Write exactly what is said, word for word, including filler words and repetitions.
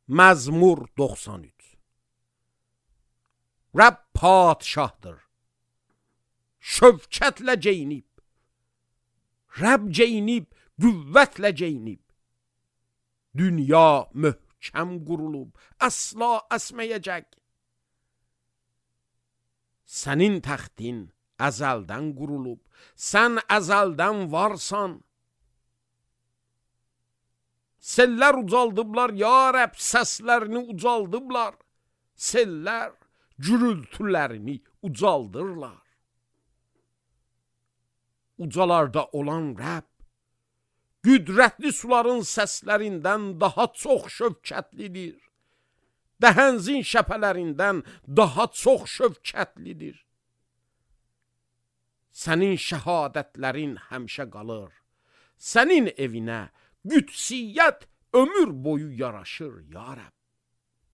Məzmur doxsan üç. Rəbb padşahdır, şövkətlə geyinib, Rəbb geyinib, qüvvətlə geyinib, dünya möhkəm qurulub, əsla əsməyəcək. Sənin təxtin əzəldən qurulub, sən əzəldən varsan. Sellər ucaldıblar, ya Rəbb, səslərini ucaldıblar. Sellər gürültülərini ucaldırlar. Ucalarda olan Rəbb, qüdrətli suların səslərindən daha çox şövkətlidir. Dəhənzin şəpələrindən daha çox şövkətlidir. Sənin şəhadətlərin həmişə qalır. Sənin evinə qüdsiyyət ömür boyu yaraşır, ya Rəbb.